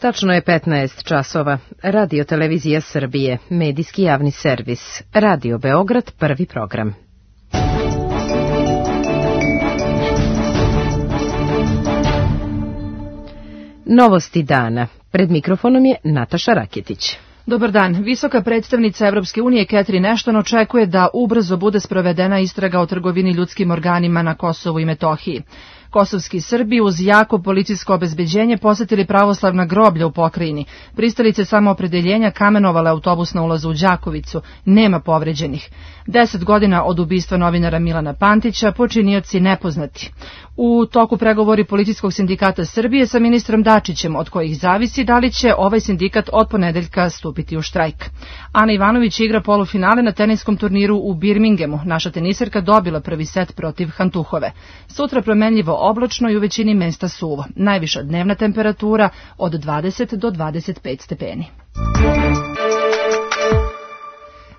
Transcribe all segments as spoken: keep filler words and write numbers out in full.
Tačno je petnaest časova. Radio Televizija Srbije, medijski javni servis. Radio Beograd, prvi program. Novosti dana. Pred mikrofonom je Nataša Raketić. Dobar dan. Visoka predstavnica Evropske unije Catherine Ashton očekuje da ubrzo bude sprovedena istraga o trgovini ljudskim organima na Kosovu i Metohiji. Kosovski Srbi uz jako policijsko obezbeđenje posetili pravoslavna groblja u pokrajini. Pristalice samoopredeljenja kamenovale autobus na ulazu u Đakovicu. Nema povređenih. Deset godina od ubistva novinara Milana Pantića, počinioci nepoznati. U toku pregovori Policijskog sindikata Srbije sa ministrom Dačićem, od kojih zavisi da li će ovaj sindikat od ponedeljka stupiti u štrajk. Ana Ivanović igra polufinale na teniskom turniru u Birminghamu. Naša teniserka dobila prvi set protiv Hantuhove. Sutra promenljivo oblačno i u većini mesta suvo. Najviša dnevna temperatura od dvadeset do dvadeset pet stepeni.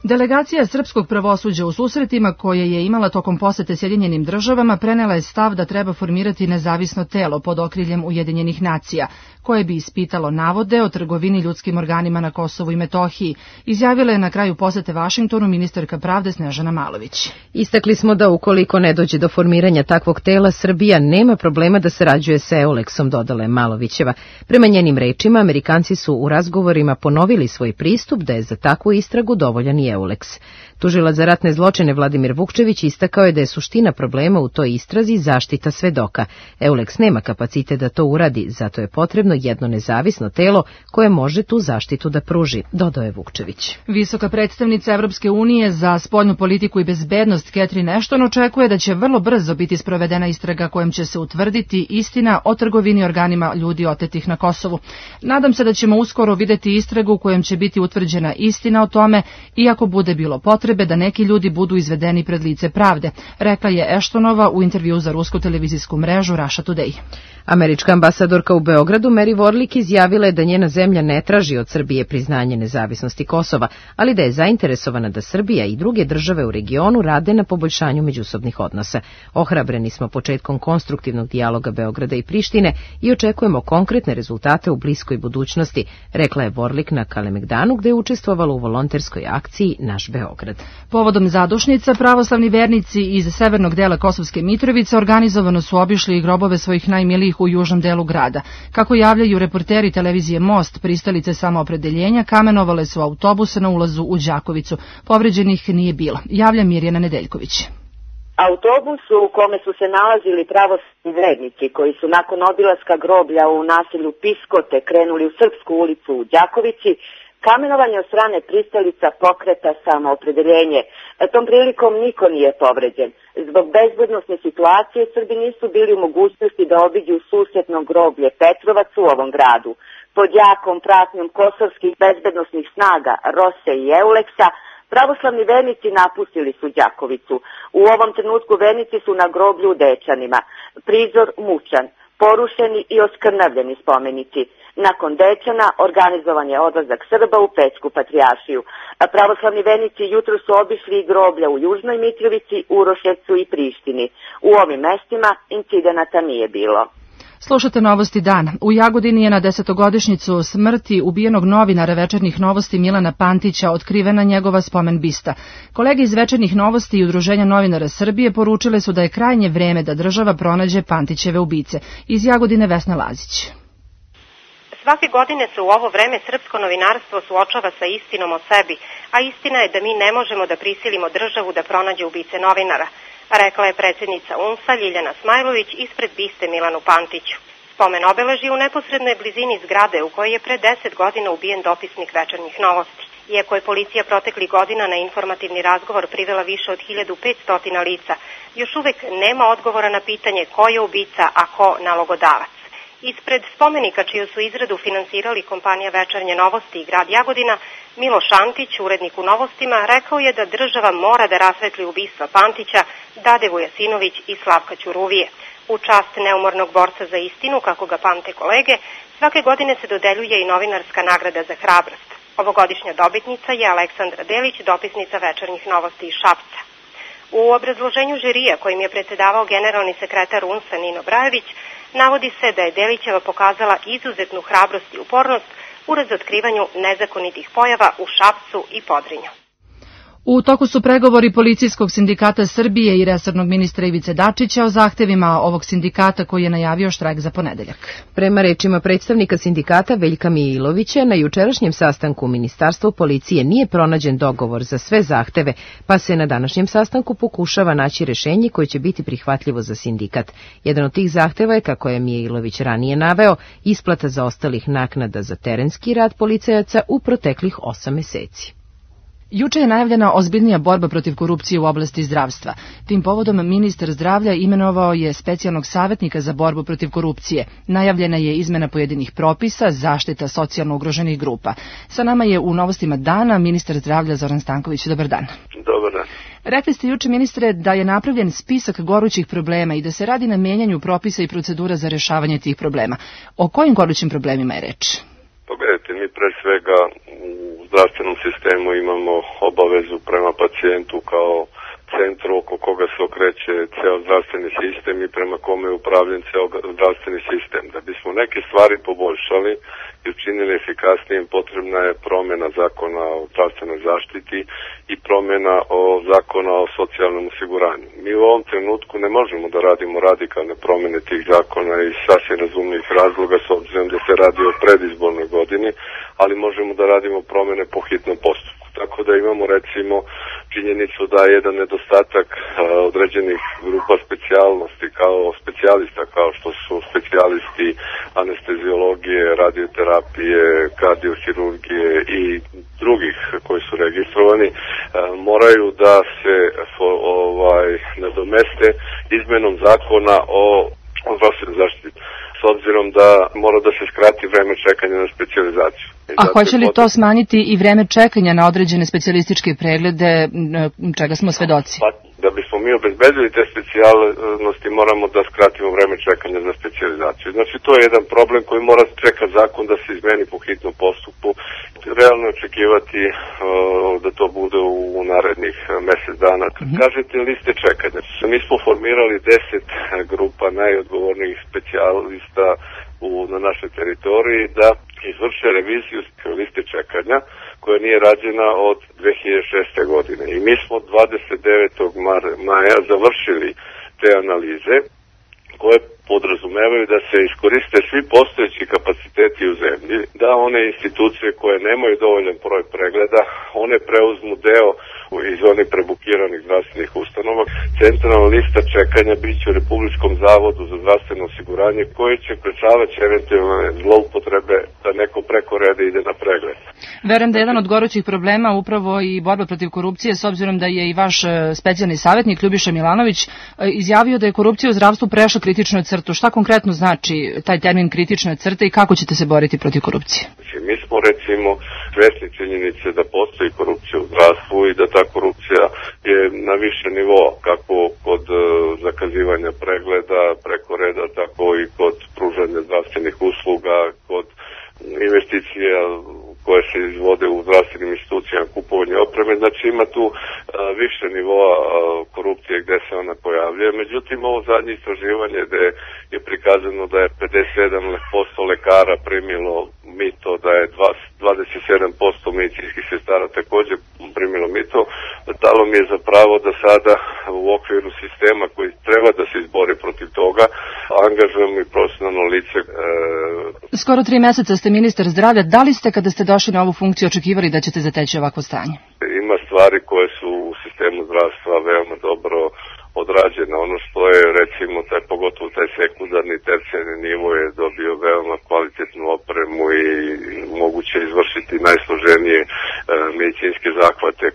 Delegacija srpskog pravosuđa u susretima koje je imala tokom posete Sjedinjenim državama prenela je stav da treba formirati nezavisno telo pod okriljem Ujedinjenih nacija, koje bi ispitalo navode o trgovini ljudskim organima na Kosovu i Metohiji, izjavila je na kraju posete Vašingtonu ministarka pravde Snežana Malović. Istakli smo da ukoliko ne dođe do formiranja takvog tela, Srbija nema problema da sarađuje sa Euleksom, dodala je Malovićeva. Prema njenim rečima, Amerikanci su u razgovorima ponovili svoj pristup da je za takvu istragu dovoljan i Euleks. Tužilac za ratne zločine Vladimir Vukčević istakao je da je suština problema u toj istrazi zaštita svedoka. Euleks nema kapacitet da to uradi, zato je potrebno jedno nezavisno telo koje može tu zaštitu da pruži, dodao je Vukčević. Visoka predstavnica Evropske unije za spoljnu politiku i bezbednost Catherine Ashton očekuje da će vrlo brzo biti sprovedena istraga kojom će se utvrditi istina o trgovini organima ljudi otetih na Kosovu. Nadam se da ćemo uskoro videti istragu kojom će biti utvrđena istina o tome, iako bude bilo potrebe da neki ljudi budu izvedeni pred lice pravde, rekla je Ashtonova u intervju za rusku televizijsku mrežu Russia Today. Američka ambasadorka u Beogradu Mary Warlick izjavila je da njena zemlja ne traži od Srbije priznanje nezavisnosti Kosova, ali da je zainteresovana da Srbija i druge države u regionu rade na poboljšanju međusobnih odnosa. Ohrabreni smo početkom konstruktivnog dijaloga Beograda i Prištine i očekujemo konkretne rezultate u bliskoj budućnosti, rekla je Warlick na Kalemegdanu, gde je učestvovala u volonterskoj akciji Naš Beograd. Povodom zadušnica, pravoslavni vernici iz severnog dela Kosovske Mitrovice organizovano su obišli grobove svojih najmilijih u južnom delu grada. Kako javljaju reporteri televizije Most, pristalice samoopredeljenja kamenovale su autobuse na ulazu u Đakovicu. Povređenih nije bilo. Javlja Mirjana Nedeljković. Autobus u kome su se nalazili pravoslavni vernici koji su nakon obilaska groblja u naselju Piskote krenuli u Srpsku ulicu u Đakovici, kamenovanje od strane pristalica pokreta samoopredeljenje. Tom prilikom niko nije povređen. Zbog bezbednosne situacije Srbi nisu bili u mogućnosti da obiđu susedno groblje Petrovac u ovom gradu. Pod jakom pratnjom kosovskih bezbednosnih snaga Rose i Euleksa, pravoslavni vernici napustili su Đakovicu. U ovom trenutku vernici su na groblju u Dečanima. Prizor mučan, porušeni i oskrnavljeni spomenici. Nakon Dečana organizovan je odlazak Srba u Pećku patrijaršiju. Pravoslavni vernici jutro su obišli i groblja u Južnoj Mitrovici, Uroševcu i Prištini. U ovim mestima incidenata nije bilo. Slušate Novosti dana. U Jagodini je na desetogodišnjicu smrti ubijenog novinara Večernjih novosti Milana Pantića otkrivena njegova spomen bista. Kolege iz Večernjih novosti i Udruženja novinara Srbije poručile su da je krajnje vreme da država pronađe Pantićeve ubice. Iz Jagodine Vesna Lazić. Svake godine se u ovo vreme srpsko novinarstvo suočava sa istinom o sebi, a istina je da mi ne možemo da prisilimo državu da pronađe ubice novinara, rekla je predsjednica U N S A Ljiljana Smajlović ispred biste Milanu Pantiću. Spomen obeleži u neposrednoj blizini zgrade u kojoj je pre deset godina ubijen dopisnik Večernjih novosti. Iako je policija proteklih godina na informativni razgovor privela više od hiljadu petsto lica, još uvek nema odgovora na pitanje ko je ubica, a ko nalogodavac. Ispred spomenika čiju su izradu finansirali kompanija Večernje novosti i grad Jagodina, Miloš Antić, urednik u Novostima, rekao je da država mora da rasvetli ubistva Pantića, Dade Vujasinović i Slavka Ćuruvije. U čast neumornog borca za istinu, kako ga pamte kolege, svake godine se dodeljuje i novinarska nagrada za hrabrost. Ovogodišnja dobitnica je Aleksandra Delić, dopisnica Večernjih novosti iz Šapca. U obrazloženju žirija kojim je predsedavao generalni sekretar U N S A Nino Brajević navodi se da je Delićeva pokazala izuzetnu hrabrost i upornost u razotkrivanju nezakonitih pojava u Šapcu i Podrinju. U toku su pregovori Policijskog sindikata Srbije i resornog ministra Ivice Dačića o zahtevima ovog sindikata koji je najavio štrajk za ponedeljak. Prema rečima predstavnika sindikata Veljka Mijilovića, na jučerašnjem sastanku u Ministarstvu policije nije pronađen dogovor za sve zahteve, pa se na današnjem sastanku pokušava naći rešenje koje će biti prihvatljivo za sindikat. Jedan od tih zahteva je, kako je Mijilović ranije naveo, isplata zaostalih naknada za terenski rad policajaca u proteklih osam meseci. Juče je najavljena ozbiljnija borba protiv korupcije u oblasti zdravstva. Tim povodom ministar zdravlja imenovao je specijalnog savjetnika za borbu protiv korupcije. Najavljena je izmena pojedinih propisa, zaštita socijalno ugroženih grupa. Sa nama je u Novostima dana ministar zdravlja Zoran Stanković. Dobar dan. Dobar dan. Rekli ste juče, ministre, da je napravljen spisak gorućih problema i da se radi na menjanju propisa i procedura za rešavanje tih problema. O kojim gorućim problemima je reč? Pogledajte, mi pre svega u zdravstvenom sistemu imamo obavezu prema pacijentu kao centru oko koga se okreće ceo zdravstveni sistem i prema kome je upravljen ceo zdravstveni sistem. Da bismo neke stvari poboljšali i učinili efikasnijim, potrebna je promjena zakona o zdravstvenoj zaštiti i promjena o zakona o socijalnom osiguranju. Mi u ovom trenutku ne možemo da radimo radikalne promjene tih zakona iz sasvim razumljivih razloga, s obzirom da se radi o predizbornoj godini, ali možemo da radimo promjene po hitnom postupku. Tako da imamo recimo činjenicu da je jedan nedostatak a, određenih grupa specijalnosti kao specijalista, kao što su specijalisti anesteziologije, radioterapije, kardiohirurgije i drugih koji su registrovani, a, moraju da se fo, ovaj, nadomeste izmenom zakona o zdravstvenoj zaštiti, s obzirom da mora da se skrati vreme čekanja na specijalizaciju. A hoće li to smanjiti i vreme čekanja na određene specijalističke preglede, čega smo svedoci? Pa, da bismo mi obezbedili te specijalnosti, moramo da skratimo vreme čekanja za specijalizaciju. Znači, to je jedan problem koji mora čekati zakon da se izmeni po hitnom postupku. Realno očekivati uh, da to bude u narednih mesec dana. Mm-hmm. Kažete liste čekanja. Mi smo formirali deset grupa najodgovornijih specijalista u, na našoj teritoriji da izvrše reviziju liste čekanja koja nije rađena od dve hiljade šeste. godine. I mi smo dvadeset devetog maja završili te analize koje podrazumevaju da se iskoriste svi postojeći kapaciteti u zemlji, da one institucije koje nemaju dovoljan broj pregleda, one preuzmu deo iz onih prebukiranih zdravstvenih ustanova. Centralna lista čekanja biće u Republičkom zavodu za zdravstveno osiguranje koji će sprečavati eventualne zloupotrebe da neko preko reda ide na pregled. Verujem da je jedan od gorućih problema upravo i borba protiv korupcije, s obzirom da je i vaš specijalni savjetnik Ljubiša Milanović izjavio da je korupcija u zdravstvu prešla kritičnu crtu. Šta konkretno znači taj termin kritična crta i kako ćete se boriti protiv korupcije? Mi smo recimo svesni činjenice da postoji korupcija u zdravstvu i da ta korupcija je na više nivoa, kako kod uh, zakazivanja pregleda preko reda, tako i kod pružanja zdravstvenih usluga, kod investicija koje se izvode u zdravstvenim institucijama, kupovanje opreme. Znači ima tu uh, više nivoa uh, korupcije gde se ona pojavljuje. Međutim, ovo zadnje istraživanje gde je prikazano da je pedeset sedam posto lekara primilo mito, da je dvadeset sedam posto medicinskih sestara također primilo mito, dalo mi je za pravo da sada u okviru sistema koji treba da se izbori protiv toga, angažujemo i profesionalno lice. E... Skoro tri meseca ste ministar zdravlja. Da li ste, kada ste došli na ovu funkciju, očekivali da ćete zateći ovakvo stanje? Ima stvari koje su u sistemu zdravstva veoma dobro odrađene. Ono što je, recimo, taj, pogotovo taj sekundarni, tercijarni nivo je dobio veoma kvalitetnu opremu i moguće izvršiti najsloženije e, medicinske zahvate,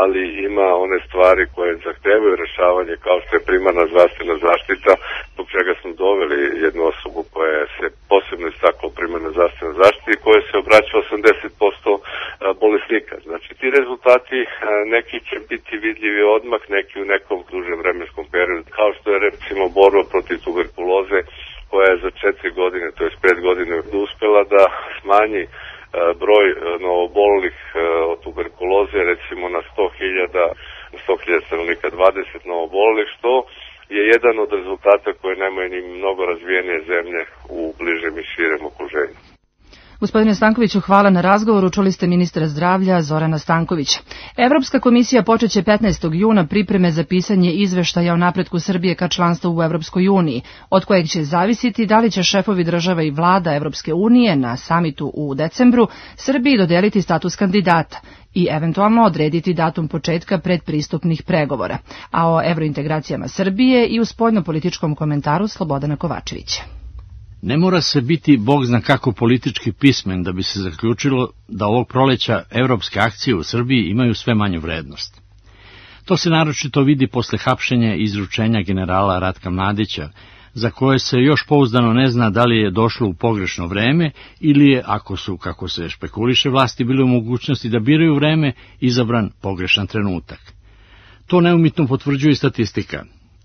ali ima one stvari koje zahtevaju rešavanje, kao što je primarna zdravstvena zaštita, zbog čega smo doveli jednu osobu koja se posebno istakla u primarnoj zdravstvenoj zaštiti i koja se obraća osamdeset posto bolesnika. Znači, ti rezultati neki će biti vidljivi odmah, neki u nekom dužem vremenskom periodu, kao što je recimo borba protiv tuberkuloze, koja je za četiri godine, to je pet godina, uspela da smanji broj novoobolelih od tuberkuloze, recimo na sto hiljada stanovnika dvadeset što je jedan od rezultata koje nemaju ni mnogo razvijenije zemlje u bližem i širem okruženju. Gospodine Stankoviću, hvala na razgovoru. Čuli ste ministra zdravlja Zorana Stankovića. Evropska komisija počeće petnaestog juna pripreme za pisanje izveštaja o napretku Srbije ka članstvu u Evropskoj uniji, od kojeg će zavisiti da li će šefovi država i vlada Evropske unije na samitu u decembru Srbiji dodeliti status kandidata i eventualno odrediti datum početka predpristupnih pregovora. A o evrointegracijama Srbije i u spoljnopolitičkom komentaru Slobodana Kovačevića. Ne mora se biti bog zna kako politički pismen da bi se zaključilo da ovog proleća evropske akcije u Srbiji imaju sve manju vrednost. To se naročito vidi posle hapšenja i izručenja generala Ratka Mladića, za koje se još pouzdano ne zna da li je došlo u pogrešno vreme ili je, ako su, kako se špekuliše, vlasti bile u mogućnosti da biraju vreme, izabran pogrešan trenutak. To neumitno potvrđuje i statistika.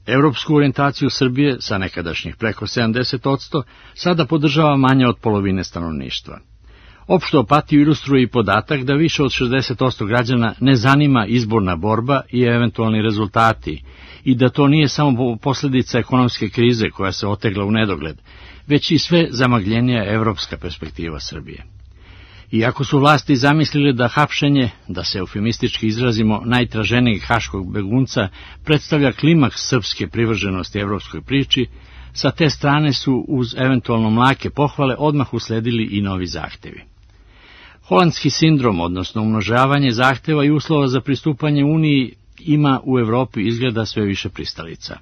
Evropsku orijentaciju Srbije, sa nekadašnjih preko sedamdeset posto, sada podržava manje od polovine stanovništva. Opštu apatiju ilustruje i podatak da više od šezdeset posto građana ne zanima izborna borba i eventualni rezultati, i da to nije samo posljedica ekonomske krize koja se otegla u nedogled, već i sve zamagljenija evropska perspektiva Srbije. Iako su vlasti zamislile da hapšenje, da se eufemistički izrazimo, najtraženijeg haškog begunca predstavlja klimaks srpske privrženosti evropskoj priči, sa te strane su uz eventualno mlake pohvale odmah usledili i novi zahtevi. Holandski sindrom, odnosno umnožavanje zahteva i uslova za pristupanje Uniji, ima u Evropi izgleda sve više pristalica.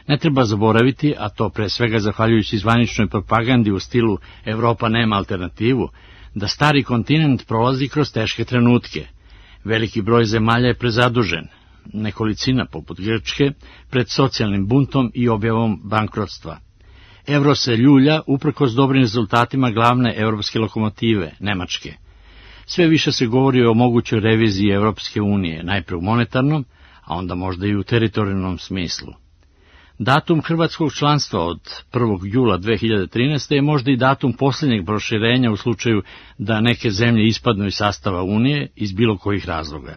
Ne treba zaboraviti, a to pre svega zahvaljujući zvaničnoj propagandi u stilu Evropa nema alternativu, da stari kontinent prolazi kroz teške trenutke. Veliki broj zemalja je prezadužen, nekolicina poput Grčke, pred socijalnim buntom i objavom bankrotstva. Evro se ljulja uprkos dobrim rezultatima glavne evropske lokomotive, Nemačke. Sve više se govori o mogućoj reviziji Evropske unije, najpre u monetarnom, a onda možda i u teritorijalnom smislu. Datum hrvatskog članstva od prvog jula dve hiljade trinaeste. je možda i datum posljednjeg proširenja u slučaju da neke zemlje ispadnu iz sastava Unije iz bilo kojih razloga.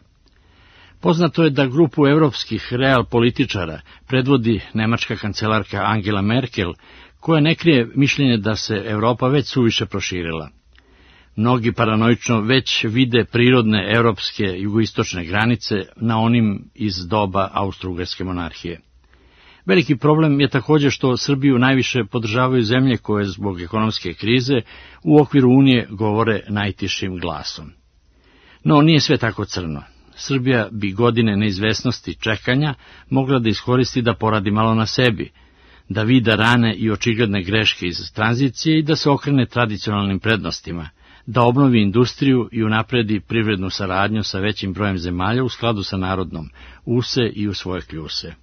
Poznato je da grupu evropskih real političara predvodi nemačka kancelarka Angela Merkel, koja ne krije mišljenje da se Evropa već suviše proširila. Mnogi paranoično već vide prirodne evropske jugoistočne granice na onim iz doba Austro-Ugarske monarhije. Veliki problem je također što Srbiju najviše podržavaju zemlje koje zbog ekonomske krize u okviru Unije govore najtišim glasom. No, nije sve tako crno. Srbija bi godine neizvesnosti čekanja mogla da iskoristi da poradi malo na sebi, da vida rane i očigledne greške iz tranzicije i da se okrene tradicionalnim prednostima, da obnovi industriju i unapredi privrednu saradnju sa većim brojem zemalja u skladu sa narodnom, use i u svoje kljuse.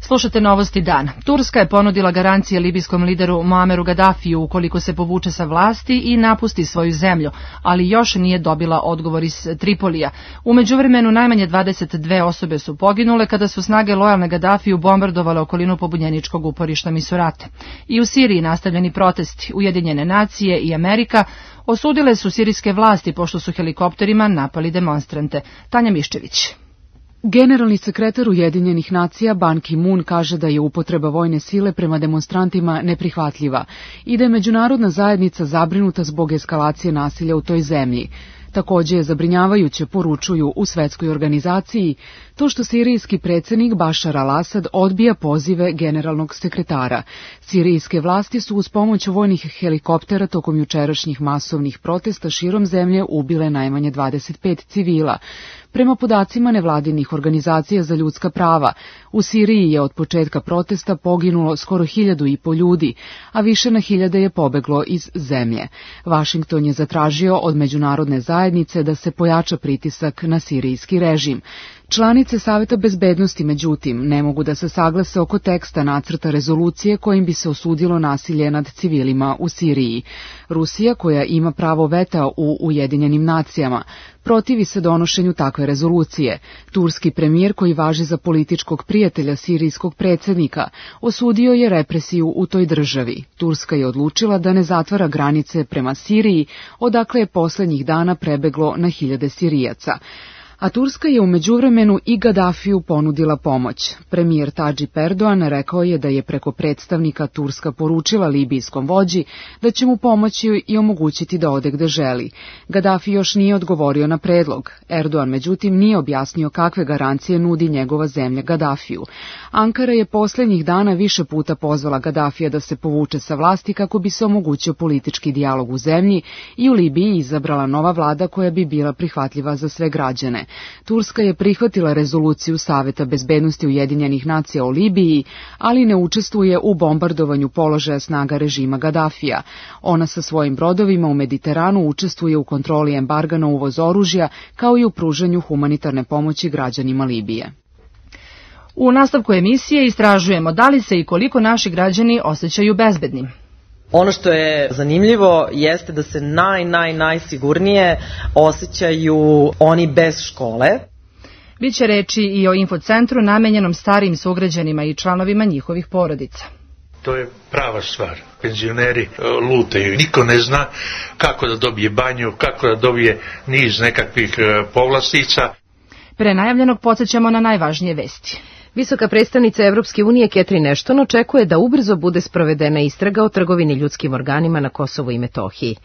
Slušate Novosti dana. Turska je ponudila garancije libijskom lideru Muameru Gadafiju ukoliko se povuče sa vlasti i napusti svoju zemlju, ali još nije dobila odgovor iz Tripolija. U međuvremenu najmanje dvadeset dve osobe su poginule kada su snage lojalne Gadafiju bombardovale okolinu pobunjeničkog uporišta Misurate. I u Siriji nastavljeni protesti. Ujedinjene nacije i Amerika osudile su sirijske vlasti pošto su helikopterima napali demonstrante. Tanja Miščević. Generalni sekretar Ujedinjenih nacija Ban Ki-moon kaže da je upotreba vojne sile prema demonstrantima neprihvatljiva i da je međunarodna zajednica zabrinuta zbog eskalacije nasilja u toj zemlji. Također je zabrinjavajuće, poručuju u svetskoj organizaciji, to što sirijski predsjednik Bašar al-Asad odbija pozive generalnog sekretara. Sirijske vlasti su uz pomoć vojnih helikoptera tokom jučerašnjih masovnih protesta širom zemlje ubile najmanje dvadeset pet civila. Prema podacima nevladinih organizacija za ljudska prava, u Siriji je od početka protesta poginulo skoro hiljadu i po ljudi, a više na hiljade je pobeglo iz zemlje. Vašington je zatražio od međunarodne zajednice da se pojača pritisak na sirijski režim. Članice Saveta bezbednosti, međutim, ne mogu da se saglase oko teksta nacrta rezolucije kojim bi se osudilo nasilje nad civilima u Siriji. Rusija, koja ima pravo veta u Ujedinjenim nacijama, protivi se donošenju takve rezolucije. Turski premijer, koji važi za političkog prijatelja sirijskog predsjednika, osudio je represiju u toj državi. Turska je odlučila da ne zatvara granice prema Siriji, odakle je posljednjih dana prebeglo na hiljade Sirijaca. A Turska je u međuvremenu i Gadafiju ponudila pomoć. Premijer Tadžip Erdogan rekao je da je preko predstavnika Turska poručila libijskom vođi da će mu pomoći i omogućiti da ode gde želi. Gadafi još nije odgovorio na predlog. Erdogan međutim nije objasnio kakve garancije nudi njegova zemlja Gadafiju. Ankara je posljednjih dana više puta pozvala Gadafija da se povuče sa vlasti kako bi se omogućio politički dijalog u zemlji i u Libiji izabrala nova vlada koja bi bila prihvatljiva za sve građane. Turska je prihvatila rezoluciju Saveta bezbednosti Ujedinjenih nacija o Libiji, ali ne učestvuje u bombardovanju položaja snaga režima Gadafija. Ona sa svojim brodovima u Mediteranu učestvuje u kontroli embarga na uvoz oružja, kao i u pružanju humanitarne pomoći građanima Libije. U nastavku emisije istražujemo da li se i koliko naši građani osjećaju bezbednim. Ono što je zanimljivo jeste da se naj, naj, najsigurnije osjećaju oni bez škole. Biće reči i o infocentru namenjenom starijim sugrađanima i članovima njihovih porodica. To je prava stvar. Penzioneri lutaju. Niko ne zna kako da dobije banju, kako da dobije niz nekakvih povlastica. Pre najavljenog podsjećamo na najvažnije vesti. Visoka predstavnica Evropske unije Catherine Ashton očekuje da ubrzo bude sprovedena istraga o trgovini ljudskim organima na Kosovu i Metohiji.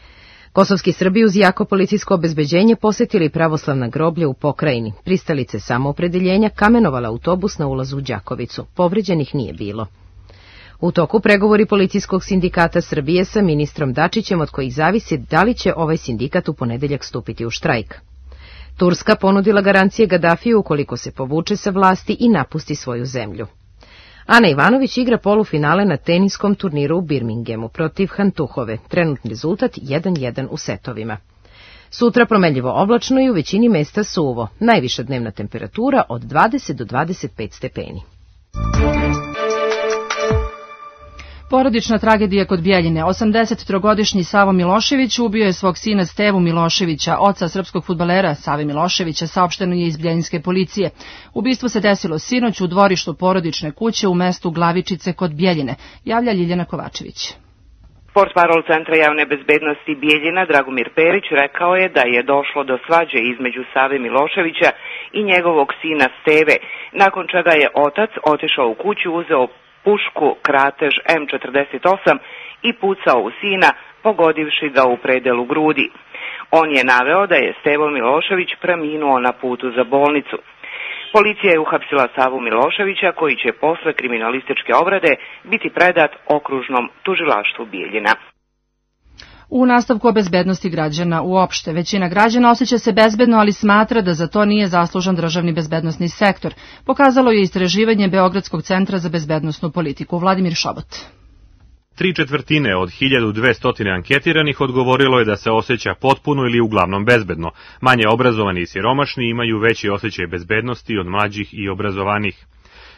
Kosovski Srbi uz jako policijsko obezbeđenje posetili pravoslavna groblja u pokrajini. Pristalice samoopredeljenja kamenovala autobus na ulazu u Đakovicu. Povređenih nije bilo. U toku pregovori policijskog sindikata Srbije sa ministrom Dačićem, od kojih zavisi da li će ovaj sindikat u ponedeljak stupiti u štrajk. Turska ponudila garancije Gadafiju ukoliko se povuče sa vlasti i napusti svoju zemlju. Ana Ivanović igra polufinale na teniskom turniru u Birminghamu protiv Hantuhove. Trenutni rezultat jedan jedan u setovima. Sutra promenljivo oblačno i u većini mesta suvo. Najviša dnevna temperatura od dvadeset do dvadeset pet stepeni. Porodična tragedija kod Bjeljine. osamdesettrogodišnji Savo Milošević ubio je svog sina Stevu Miloševića, oca srpskog fudbalera Save Miloševića, saopšteno je iz Bjeljinske policije. Ubistvo se desilo sinoć u dvorištu porodične kuće u mestu Glavičice kod Bjeljine, javlja Ljiljana Kovačević. Portparol Centra javne bezbednosti Bjeljina Dragomir Perić rekao je da je došlo do svađe između Save Miloševića i njegovog sina Steve, nakon čega je otac otišao u kuću, uzeo pušku Kratež em četrdeset osam i pucao u sina, pogodivši ga u predelu grudi. On je naveo da je Stevo Milošević preminuo na putu za bolnicu. Policija je uhapsila Savu Miloševića, koji će posle kriminalističke obrade biti predat okružnom tužilaštvu Bijeljina. U nastavku o bezbednosti građana uopšte, većina građana osjeća se bezbedno, ali smatra da za to nije zaslužan državni bezbednosni sektor. Pokazalo je istraživanje Beogradskog centra za bezbednosnu politiku. Vladimir Šobot. Tri četvrtine od hiljadu dvesta anketiranih odgovorilo je da se osjeća potpuno ili uglavnom bezbedno. Manje obrazovani i siromašni imaju veći osjećaj bezbednosti od mlađih i obrazovanih.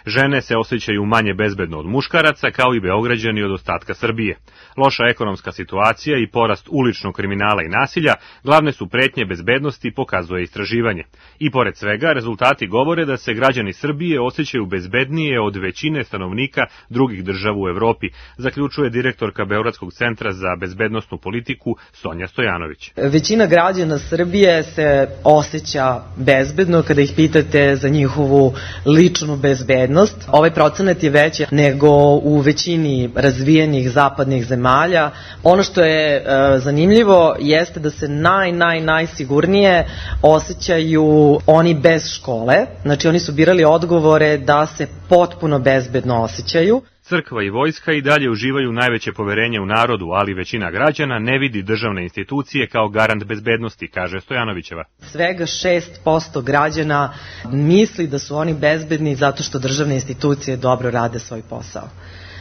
Žene se osjećaju manje bezbedno od muškaraca, kao i Beograđani od ostatka Srbije. Loša ekonomska situacija i porast uličnog kriminala i nasilja glavne su pretnje bezbednosti, pokazuje istraživanje. I pored svega, rezultati govore da se građani Srbije osjećaju bezbednije od većine stanovnika drugih država u Evropi, zaključuje direktorka Beogradskog centra za bezbednosnu politiku Sonja Stojanović. Većina građana Srbije se osjeća bezbedno kada ih pitate za njihovu ličnu bezbednost. Ovaj procenat je veći nego u većini razvijenih zapadnih zemalja. Ono što je e, zanimljivo jeste da se naj, naj, najsigurnije osjećaju oni bez škole. Znači oni su birali odgovore da se potpuno bezbedno osjećaju. Crkva i vojska i dalje uživaju najveće poverenje u narodu, ali većina građana ne vidi državne institucije kao garant bezbednosti, kaže Stojanovićeva. Svega šest posto građana misli da su oni bezbedni zato što državne institucije dobro rade svoj posao.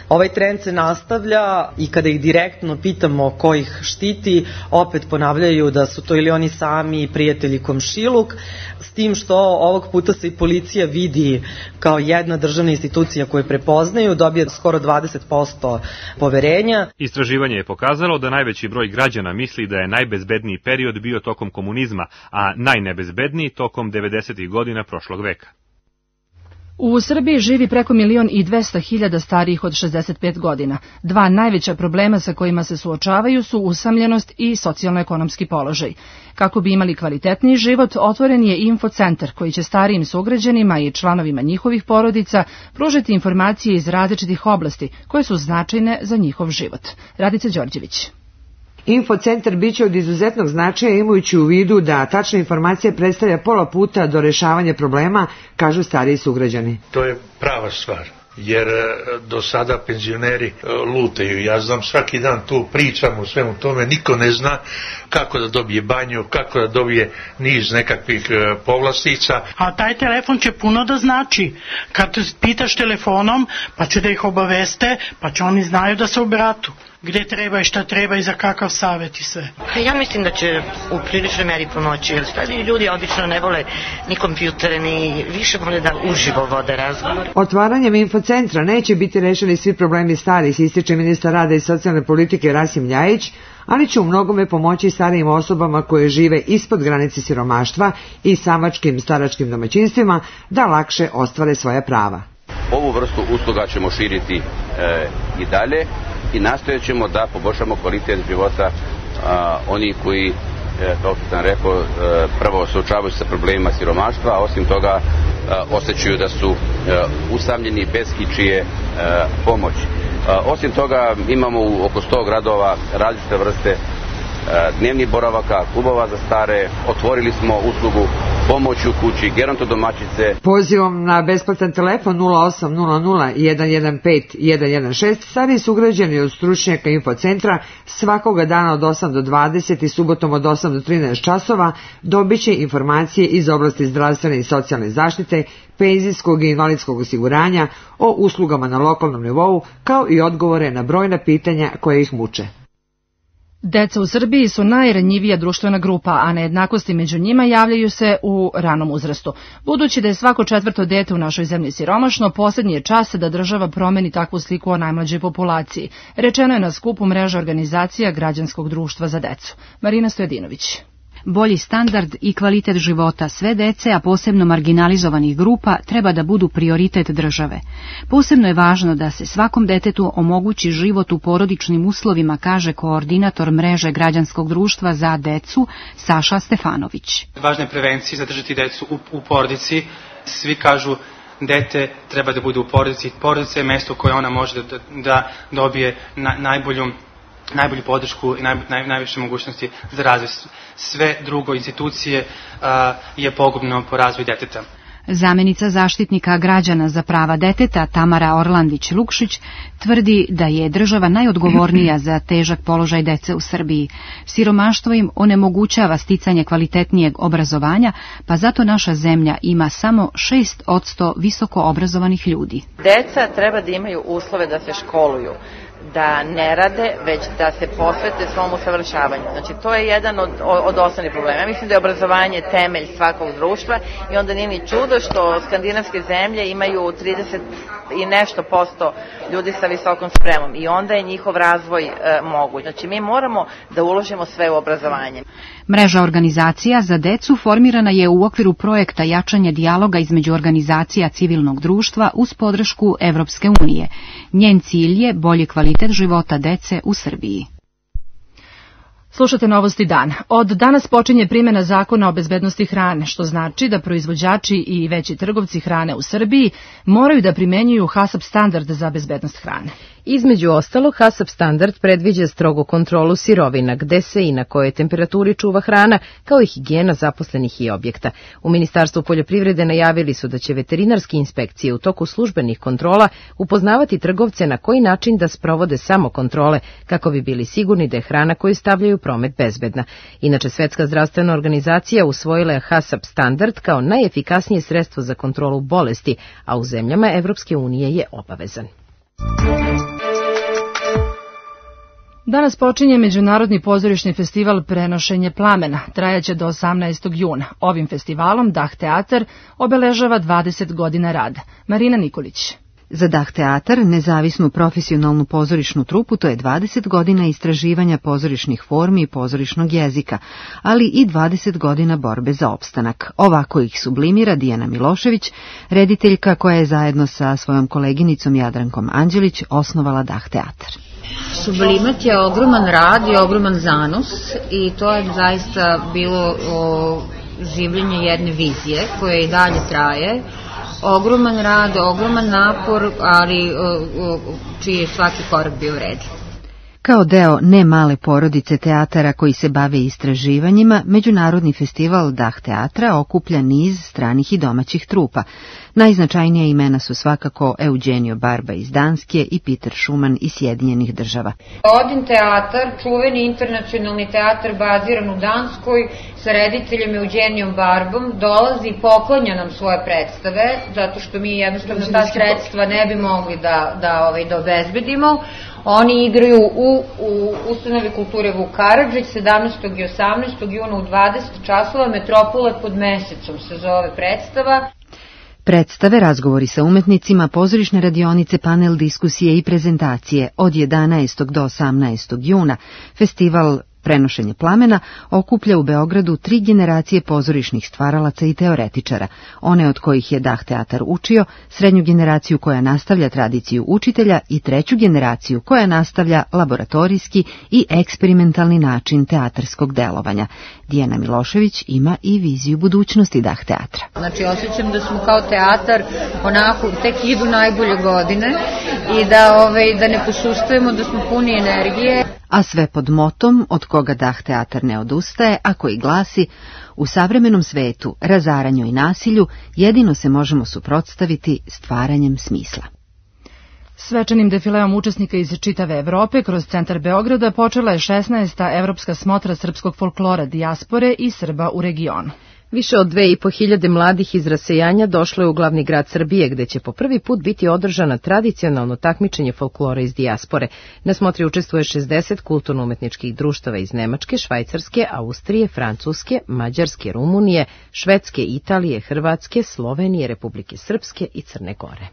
Ovaj trend se nastavlja i kada ih direktno pitamo ko ih štiti, opet ponavljaju da su to ili oni sami prijatelji komšiluk, s tim što ovog puta se i policija vidi kao jedna državna institucija koju prepoznaju, dobije skoro dvadeset posto poverenja. Istraživanje je pokazalo da najveći broj građana misli da je najbezbedniji period bio tokom komunizma, a najnebezbedniji tokom devedesetih godina prošlog veka. U Srbiji živi preko milion i dvesta hiljada starijih od šezdeset pet godina. Dva najveća problema sa kojima se suočavaju su usamljenost i socijalno-ekonomski položaj. Kako bi imali kvalitetniji život, otvoren je infocentar koji će starijim sugrađanima i članovima njihovih porodica pružiti informacije iz različitih oblasti koje su značajne za njihov život. Radica Đorđević. Infocentar biće od izuzetnog značaja imajući u vidu da tačna informacija predstavlja pola puta do rešavanja problema, kažu stariji sugrađani. To je prava stvar, jer do sada penzioneri lutaju. Ja znam, svaki dan tu pričam o svemu tome, niko ne zna kako da dobije banju, kako da dobije niz nekakvih povlastica. A taj telefon će puno da znači. Kad pitaš telefonom, pa će da ih obaveste, pa će oni znaju da se obratu. Gde treba i šta treba i za kakav savjet i sve. Ja mislim da će u priličnoj meri pomoći, jer stariji ljudi obično ne vole ni kompjutere, ni više vole da uživo vode razgovor. Otvaranjem infocentra neće biti rešeni svi problemi starih, ističe ministar rada i socijalne politike Rasim Ljajić, ali će u mnogome pomoći starijim osobama koje žive ispod granice siromaštva i samačkim staračkim domaćinstvima da lakše ostvare svoja prava. Ovu vrstu usluga ćemo širiti e, i dalje i nastojat ćemo da poboljšamo kvalitet života a, onih koji, e, kao što sam rekao, e, prvo suočavaju se sa problemima siromaštva, a osim toga e, osjećaju da su e, usamljeni bez ičije e, pomoći. E, osim toga imamo u oko sto gradova različite vrste dnevnih boravaka, klubova za stare, otvorili smo uslugu pomoći u kući, gerontodomaćice. Pozivom na besplatan telefon nula osam nula nula jedan jedan pet jedan jedan šest stariji sugrađani od stručnjaka infocentra svakoga dana od osam do dvadeset i subotom od osam do trinaest časova dobit će informacije iz oblasti zdravstvene i socijalne zaštite, penzijskog i invalidskog osiguranja, o uslugama na lokalnom nivou, kao i odgovore na brojna pitanja koje ih muče. Deca u Srbiji su najranjivija društvena grupa, a nejednakosti među njima javljaju se u ranom uzrastu. Budući da je svako četvrto dete u našoj zemlji siromašno, posljednji je čas da država promeni takvu sliku o najmlađoj populaciji. Rečeno je na skupu mreže organizacija Građanskog društva za decu. Marina Stojadinović. Bolji standard i kvalitet života sve dece, a posebno marginalizovanih grupa, treba da budu prioritet države. Posebno je važno da se svakom detetu omogući život u porodičnim uslovima, kaže koordinator mreže Građanskog društva za decu Saša Stefanović. Važna je prevencija, zadržati decu u, u porodici. Svi kažu dete treba da bude u porodici. Porodica je mesto koje ona može da, da dobije na, najbolju najbolju podršku i naj, naj, najviše mogućnosti za razvoj. Sve drugo institucije a, je pogubno po razvoju deteta. Zamenica zaštitnika građana za prava deteta Tamara Orlandić-Lukšić tvrdi da je država najodgovornija za težak položaj dece u Srbiji. Siromaštvo im onemogućava sticanje kvalitetnijeg obrazovanja, pa zato naša zemlja ima samo šest posto visoko obrazovanih ljudi. Deca treba da imaju uslove da se školuju, da ne rade, već da se posvete svom usavršavanju. Znači, to je jedan od, od osnovnih problema. Ja mislim da je obrazovanje temelj svakog društva i onda nije ni čudo što skandinavske zemlje imaju trideset i nešto posto ljudi sa visokom spremom i onda je njihov razvoj e, moguć. Znači, mi moramo da uložimo sve u obrazovanje. Mreža organizacija za decu formirana je u okviru projekta jačanja dijaloga između organizacija civilnog društva uz podršku Evropske unije. Njen cilj je bolji kvalitet života dece u Srbiji. Slušate Novosti dan. Od danas počinje primjena zakona o bezbednosti hrane, što znači da proizvođači i veći trgovci hrane u Srbiji moraju da primenjuju HACCP standard za bezbednost hrane. Između ostalog, HACCP standard predviđa strogu kontrolu sirovina, gde se i na kojoj temperaturi čuva hrana, kao i higijena zaposlenih i objekta. U Ministarstvu poljoprivrede najavili su da će veterinarske inspekcije u toku službenih kontrola upoznavati trgovce na koji način da sprovode samo kontrole, kako bi bili sigurni da je hrana koju stavljaju u promet bezbedna. Inače, Svetska zdravstvena organizacija usvojila je HACCP standard kao najefikasnije sredstvo za kontrolu bolesti, a u zemljama Evropske unije je obavezan. Danas počinje Međunarodni pozorišni festival Prenošenje plamena, trajaće do osamnaestog juna. Ovim festivalom Dah teatar obeležava dvadeset godina rada. Marina Nikolić. Za Dah teatar, nezavisnu profesionalnu pozorišnu trupu, to je dvadeset godina istraživanja pozorišnih formi i pozorišnog jezika, ali i dvadeset godina borbe za opstanak. Ovako ih sublimira Dijana Milošević, rediteljka koja je zajedno sa svojom koleginicom Jadrankom Anđelić osnovala Dah teatar. Sublimat je ogroman rad i ogroman zanos i to je zaista bilo o, življenje jedne vizije koja i dalje traje. Ogroman rad, ogroman napor, ali o, o, čiji je svaki korak bio vredan. Kao deo ne male porodice teatara koji se bave istraživanjima, Međunarodni festival Dah teatra okuplja niz stranih i domaćih trupa. Najznačajnija imena su svakako Eugenio Barba iz Danske i Peter Schumann iz Sjedinjenih država. Odin teatar, čuveni internacionalni teatar baziran u Danskoj, sa rediteljem Eugenijom Barbom, dolazi i poklanja nam svoje predstave, zato što mi jednostavno ta sredstva ne bi mogli da, da, ovaj, da obezbedimo. Oni igraju u, u ustanovi kulture Vuk Karadžić sedamnaestog i osamnaestog juna u dvadeset časova, Metropole pod mesecom se zove predstava. Predstave, razgovori sa umetnicima, pozorišne radionice, panel diskusije i prezentacije od jedanaestog do osamnaestog juna. Festival Prenošenje plamena okuplja u Beogradu tri generacije pozorišnih stvaralaca i teoretičara, one od kojih je Dah teatar učio, srednju generaciju koja nastavlja tradiciju učitelja i treću generaciju koja nastavlja laboratorijski i eksperimentalni način teatarskog delovanja. Dijana Milošević ima i viziju budućnosti Dah teatra. Znači, osjećam da smo kao teatar onako tek idu najbolje godine i da, ovaj, da ne posustajemo, da smo puni energije. A sve pod motom od koga Dah teatar ne odustaje, a koji glasi: u savremenom svetu, razaranju i nasilju jedino se možemo suprotstaviti stvaranjem smisla. Svečanim defileom učesnika iz čitave Evrope kroz centar Beograda počela je šesnaesta Evropska smotra srpskog folklora, dijaspore i Srba u regionu. Više od dve i po hiljade mladih iz rasejanja došlo je u glavni grad Srbije, gde će po prvi put biti održana tradicionalno takmičenje folklora iz dijaspore. Na smotri učestvuje šezdeset kulturno-umetničkih društava iz Nemačke, Švajcarske, Austrije, Francuske, Mađarske, Rumunije, Švedske, Italije, Hrvatske, Slovenije, Republike Srpske i Crne Gore.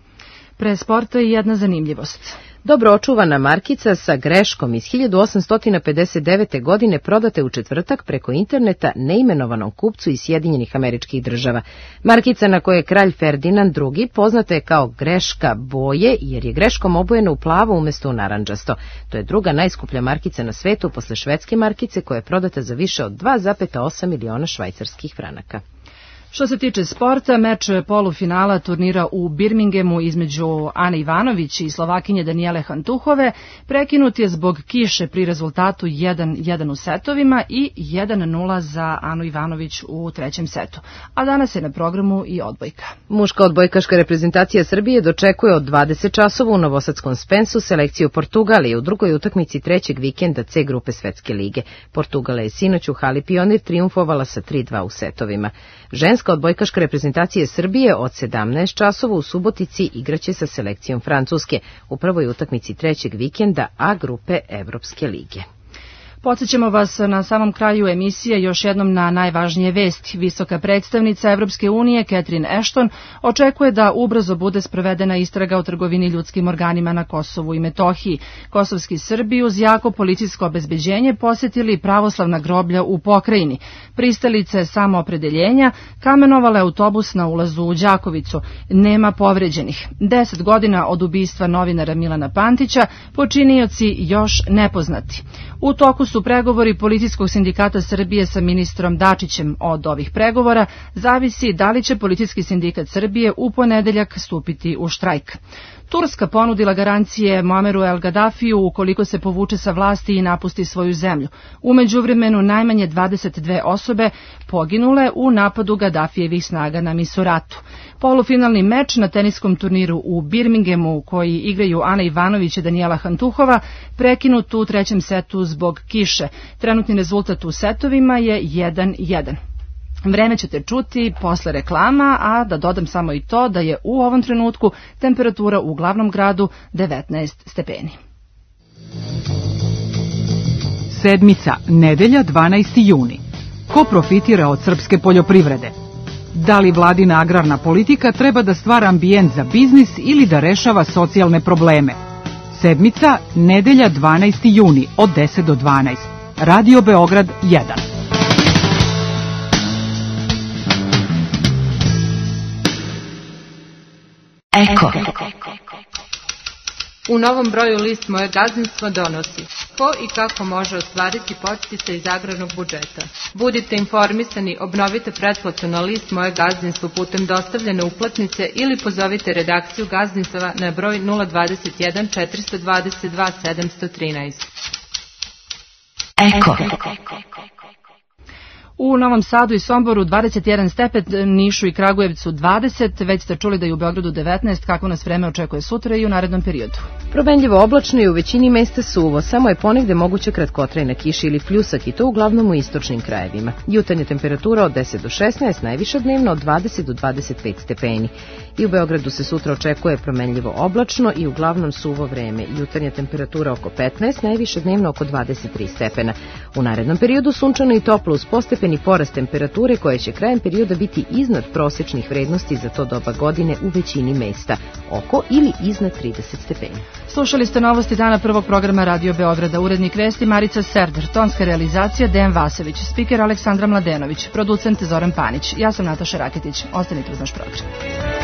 Pre sporta i jedna zanimljivost. Dobro očuvana markica sa greškom iz hiljadu osamsto pedeset devete. godine prodate u četvrtak preko interneta neimenovanom kupcu iz Sjedinjenih Američkih Država. Markica na kojoj je kralj Ferdinand drugi poznata je kao greška boje, jer je greškom obojena u plavo umjesto u narandžasto. To je druga najskuplja markica na svetu posle švedske markice koja je prodata za više od dva zarez osam miliona švajcarskih franaka. Što se tiče sporta, meč polufinala turnira u Birminghamu između Ane Ivanović i Slovakinje Danijele Hantuhove prekinut je zbog kiše pri rezultatu jedan jedan u setovima i jedan nula za Anu Ivanović u trećem setu. A danas je na programu i odbojka. Muška odbojkaška reprezentacija Srbije dočekuje od dvadeset časova u novosadskom Spensu selekciju Portugalije u drugoj utakmici trećeg vikenda C grupe Svetske lige. Portugala je sinoć u hali Pionir triumfovala sa tri dva u setovima. Ženska odbojkaška reprezentacija Srbije od sedamnaest časova u Subotici igraće sa selekcijom Francuske u prvoj utakmici trećeg vikenda A grupe Evropske lige. Podsjećamo vas na samom kraju emisije još jednom na najvažnije vesti. Visoka predstavnica Evropske unije Catherine Ashton očekuje da ubrzo bude sprovedena istraga o trgovini ljudskim organima na Kosovu i Metohiji. Kosovski Srbi uz jako policijsko obezbeđenje posjetili pravoslavna groblja u pokrajini. Pristalice samoopredeljenja kamenovale autobus na ulazu u Đakovicu. Nema povređenih. Deset godina od ubistva novinara Milana Pantića, počinioci još nepoznati. U toku su pregovori Policijskog sindikata Srbije sa ministrom Dačićem. Od ovih pregovora zavisi da li će Policijski sindikat Srbije u ponedeljak stupiti u štrajk. Turska ponudila garancije Muammeru El Gaddafiju ukoliko se povuče sa vlasti i napusti svoju zemlju. U međuvremenu najmanje dvadeset dve osobe poginule u napadu Gaddafijevih snaga na Misuratu. Polufinalni meč na teniskom turniru u Birminghamu koji igraju Ana Ivanović i Danijela Hantuhova prekinut u trećem setu zbog kiše. Trenutni rezultat u setovima je jedan jedan. Vreme ćete čuti posle reklama, a da dodam samo i to da je u ovom trenutku temperatura u glavnom gradu devetnaest stepeni. Sedmica, nedelja, dvanaesti juni. Ko profitira od srpske poljoprivrede? Da li vladina agrarna politika treba da stvara ambijent za biznis ili da rešava socijalne probleme? Sedmica, nedelja dvanaesti juni od deset do dvanaest. Radio Beograd jedan. Eko. U novom broju list Moje gazdinstvo donosi ko i kako može ostvariti podsticaj iz agrarnog budžeta. Budite informisani, obnovite pretplatu na list Moje gazdinstvo putem dostavljene uplatnice ili pozovite redakciju gazdinstava na broj nula dvadeset jedan četiristo dvadeset dva sedamsto trinaest. Eko. U Novom Sadu i Somboru dvadeset jedan stepen, Nišu i Kragujevcu dvadeset, već ste čuli da je u Beogradu devetnaest, kako nas vreme očekuje sutra i u narednom periodu. Promenljivo oblačno i u većini mesta suvo, samo je ponegde moguća kratkotrajna kiša ili pljusak i to uglavnom u istočnim krajevima. Jutarnja temperatura od deset do šesnaest, najviša dnevno od dvadeset do dvadeset pet stepeni. I u Beogradu se sutra očekuje promenljivo oblačno i uglavnom suvo vreme. Jutarnja temperatura oko petnaest, najviša dnevno oko dvadeset tri stepena. U narednom periodu sunčano i toplo uz postepeni porast temperature koje će krajem perioda biti iznad prosečnih vrednosti za to doba godine u većini mesta, oko ili iznad trideset stepeni. Slušali ste novosti dana prvog programa Radio Beograda, urednik vesti Marica Serder, tonska realizacija Dejan Vasović, spiker Aleksandra Mladenović, producent Zoran Panić. Ja sam Nataša Raketić. Ostanite uz naš program.